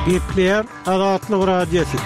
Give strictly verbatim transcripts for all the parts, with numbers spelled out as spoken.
Gepleýär Azatlyk Radiosy.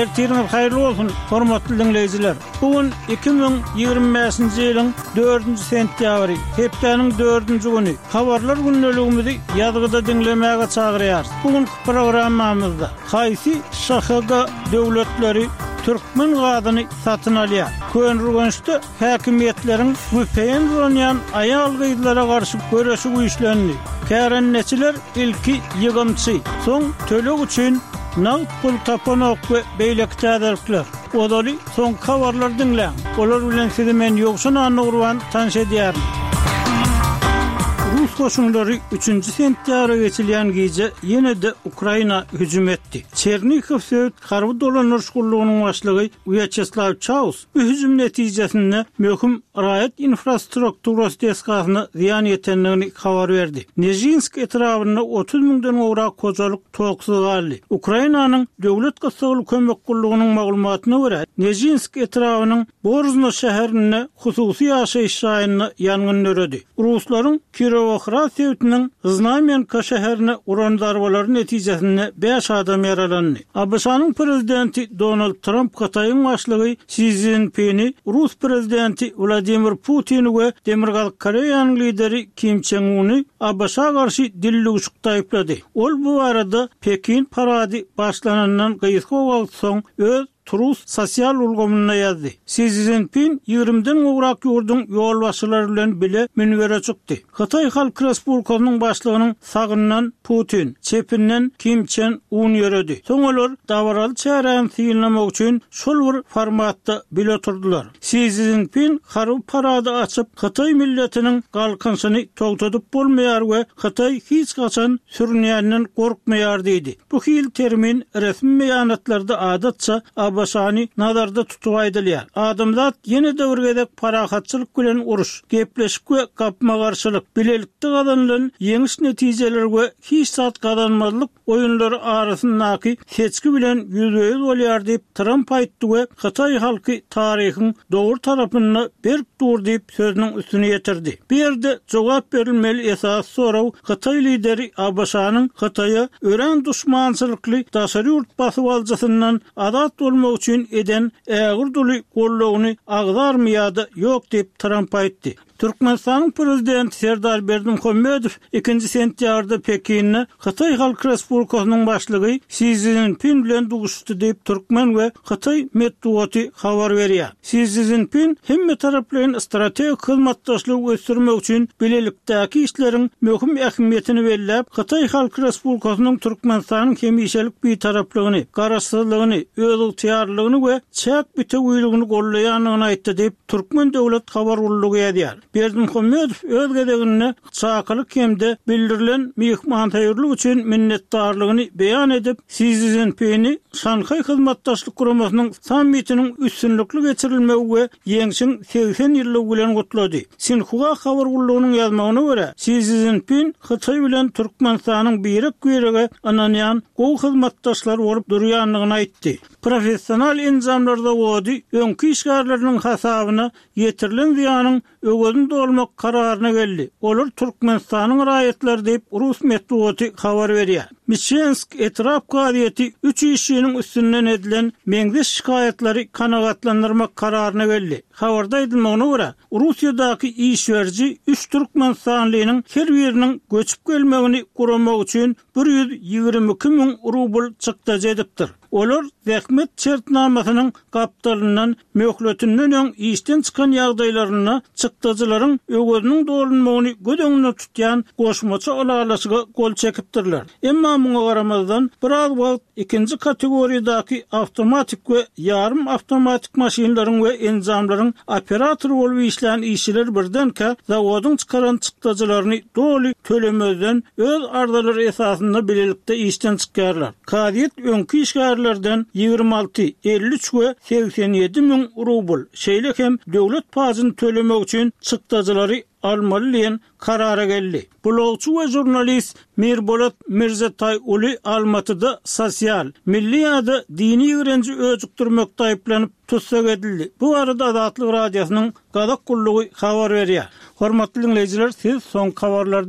Ertiriňiz haýyrly bolsun, hormatly diňleýjiler. Bu gün iki müň ýigrimi bäşinji ýylyň dördünji sentýabry, hepdäniň dördünji güni. Habarlar gündeligimizi ýazgyda diňlemäge çagyrýarys. Bu günki programmamyzda haýsy ŞHG döwletleri türkmen gazyny satyn alýar? Köneürgençde Häkimiýetleriň V P N ulanýan aýal-gyzlara garşy göreşi güýçlendi. Kärendeçiler ilki ýygymçy, soň töleg üçin nagt pul tapanok we beýleki täzelikler. Ozaly soňky habarlary diňläň. Olar bilen sizi men Ýowşan Annagurban tanyş edýärin. Rus goşunlary üçünji sentýabra geçilýän gije ýene-de Ukraina hüjüm etdi. Çernihow sebit harby dolandyryş gullugynyň başlygy Wýaçeslaw Çaus bu hüjüm netijesinde möhüm raýat infrastrukturasy desgasyna zyýan ýetendigini habar berdi. Nežinsk etrabynda otuz müňden gowrak hojalyk toksuz galdy. Ukrainanyň Döwlet gyssagly kömek gullugynyň maglumatyna görä, Nežinsk etrabynyň Borzno şäherinde hususy ýaşaýyş jaýynda ýangyn döredi. Ruslaryň Kirowohrad sebitiniň Znamenka şäherine uran zarbalary netijesinde bäş adam ýaralandy. A B Ş-nyň prezidenti Donald Tramp Hytaýyň başlygy Si Szinpini, Rus prezidenti Wladimir Putini we Demirgazyk Koreýanyň lideri Kim Çen Uny A B Ş-a garşy dillüwşükde aýyplady. Ol bu barada Pekin parady başlanandan gysga wagt soň öz Truth sosial ulgamynda ýazdy. Si Szinpin ýigrimiden gowrak ýurduň ýolbaşçylary bilen bile münbere çykdy. Hytaý Halk Respublikasynyň başlygynyň sagyndan Putin, çepinden Kim Çen Un ýöredi. Soň olar dabaraly çäräni synlamak üçin şol bir formatda bile oturdylar. Si Szinpin harby parady açyp, Hytaý milletiniň galkynyşyny togtadyp bolmaýar we Hytaý hiç haçan sürünýänden gorkmaýar diýdi. Bu hil termin resmi beýanatlarda adatça A B Ş-ny nazarda tutup aýdylýar. Adamzat ýene-de bir gezek parahatçylyk bilen uruş, gepleşik we gapma-garşylyk, bilelikde gazanylan ýeňiş netijeleri we hiç zat gazanmazlyk oýunlary arasyndaky seçgi bilen ýüzbe-ýüz bolýar diýip Tramp aýtdy we Hytaý halky taryhyň dogry tarapynda berk dur diýip sözüniň üstüne ýetirdi. Bu ýerde jogap berilmeli esas sorag Hytaý lideri A B Ş-nyň Hytaýa örän duşmançylykly daşary ýurt basybalyjysyndan azat bolmak üçin eden ägir duly gollugyny agzarmy ýa-da ýok diýip Tramp aýtdy. Türkmenistanyň prezidenti Serdar Berdimuhamedow ikinji sentýabrda Pekinde Hytaý Halk Respublikasynyň başlygy Si Szinpin bilen duşuşdy diýip türkmen we hytaý metbugaty habar berýär. Si Szinpin hemme taraplaryň strategik hyzmatdaşlygy ösdürmek üçin bilelikdäki işleriň möhüm ähmiýetini belläp, Hytaý Halk Respublikasynyň Türkmenistanyň hemişelik bitaraplygyny, garaşsyzlygyny, özygtyýarlygyny we çäk bitewüligini gollaýandygyny aýtdy diýip Türkmen döwlet habar gullugy ýazýar. Berdimuhamedow öz gezeginde çakylyk hem-de bildirilen myhmansöýerlik üçin minnetdarlygyny beýan edip, Si Szinpini Şanhaý Hyzmatdaşlyk Guramasynyň sammitiniň üstünlikli geçirilmegi we ýeňşiň segsen ýyllygy bilen gutlady. Sinhua habar gullugynyň ýazmagyna görä, Si Szinpin Hytaý bilen Türkmenistanyň birek-birege ynanýan gowy hyzmatdaşlar bolup durýandygyny aýtdy. Professional enjamlar zawody öňki işgärleriniň hasabyna ýetirilen zyýanyň öwezini dolmak kararyna geldi. Olar Türkmenistanyň raýatlary diýip rus metbugaty habar berýär. Miçensk etrap kazyýeti üç işçiniň üstünden edilen meňzeş şikaýatlary kanagatlandyrmak kararyna geldi. Habarda aýdylmagyna görä, Russiýadaky iş beriji üç türkmenistanlynyň her biriniň göçüp gelmegini guramak üçin bir ýüz ýigrimi iki müň rubl çykdajy edipdir. Olar zähmet şertnamasynyň gapdalyndan möhletinden öň işden çykan ýagdaýlarynda çykdajylaryň öweziniň dolunmagyny göz öňünde tutýan goşmaça ylalaşyga gol çekipdirler. Emma muňa garamazdan biraz wagt ikinji kategoriýadaky awtomatik we ýarym awtomatik maşynlaryň we enjamlaryň operatory bolup işlän işçiler birdenkä zawodyň çykaran çykdajylaryny doly tölemezden öz arzalary esasynda bilelikde işden çykýarlar. Kazyýet öňki işgärlerden ýigrimi alty, elli üç we segsen ýedi müň rubl, şeýle hem döwlet pajyny tölemek üçin çykdajylary almaly diýen karara geldi. Blogçy we žurnalist Mirbolat Mirzataý uly Almatyda sosial, milli ýa-da dini ýigrenji öjükdirmekde aýyplanyp tussag edildi. Bu barada Azatlyk Radiosynyň Gazak gullugy habar berýär. Hormatly dinleýjiler, siz soňky habarlary